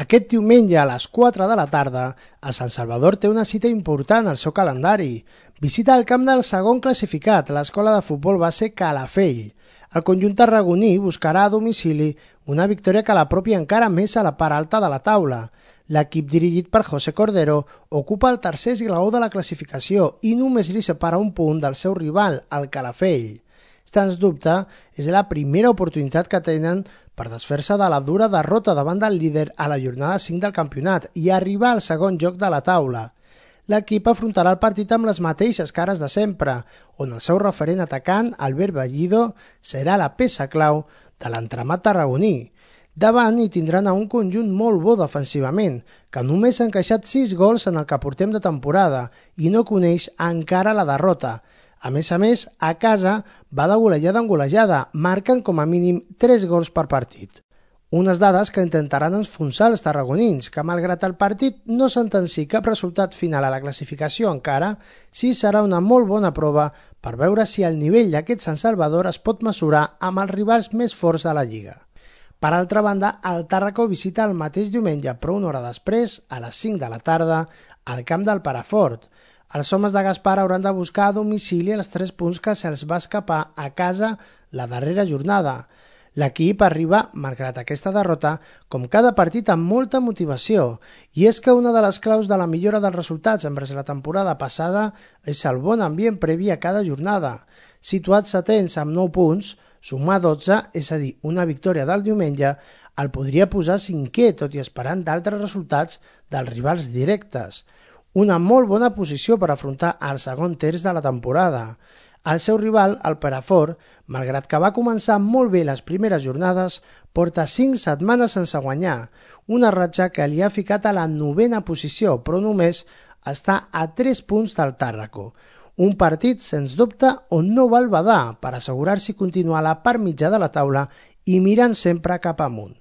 Aquest diumenge a les 4 de la tarda, a Sant Salvador té una cita important al seu calendari. Visita el camp del segon classificat, l'escola de futbol base Calafell. El conjunt tarragoní buscarà a domicili una victòria que l'apropi encara més a la part alta de la taula. L'equip dirigit per José Cordero ocupa el tercer esglaó de la classificació i només li separa un punt del seu rival, el Calafell. Sens dubte, és la primera oportunitat que tenen per desfer-se de la dura derrota davant del líder a la jornada 5 del campionat i arribar al segon lloc de la taula. L'equip afrontarà el partit amb les mateixes cares de sempre, on el seu referent atacant, Albert Bellido, serà la peça clau de l'entramat tarragoní. Davant hi tindran a un conjunt molt bo defensivament, que només ha encaixat 6 gols en el que portem de temporada i no coneix encara la derrota. A més, a casa va de golejada en golejada, marquen com a mínim 3 gols per partit. Unes dades que intentaran enfonsar els tarragonins, que malgrat el partit no sentenciï cap resultat final a la classificació encara, sí serà una molt bona prova per veure si el nivell d'aquest Sant Salvador es pot mesurar amb els rivals més forts de la Lliga. Per altra banda, el Tàrraco visita el mateix diumenge, però una hora després, a les 5 de la tarda, al camp del Perafort. Els homes de Gaspar hauran de buscar a domicili els 3 punts que se'ls va escapar a casa la darrera jornada. L'equip arriba, malgrat aquesta derrota, com cada partit amb molta motivació, i és que una de les claus de la millora dels resultats envers la temporada passada és el bon ambient previ a cada jornada. Situats setens amb 9 punts, sumar 12, és a dir, una victòria del diumenge, el podria posar cinquè, tot i esperant d'altres resultats dels rivals directes. Una molt bona posició per afrontar el segon terç de la temporada. El seu rival, el Perafort, malgrat que va començar molt bé les primeres jornades, porta 5 setmanes sense guanyar, una ratxa que li ha ficat a la 9a posició, però només està a 3 punts del Tàrraco. Un partit, sens dubte, on no val badar per assegurar-s'hi continuar a la part mitja de la taula i mirant sempre cap amunt.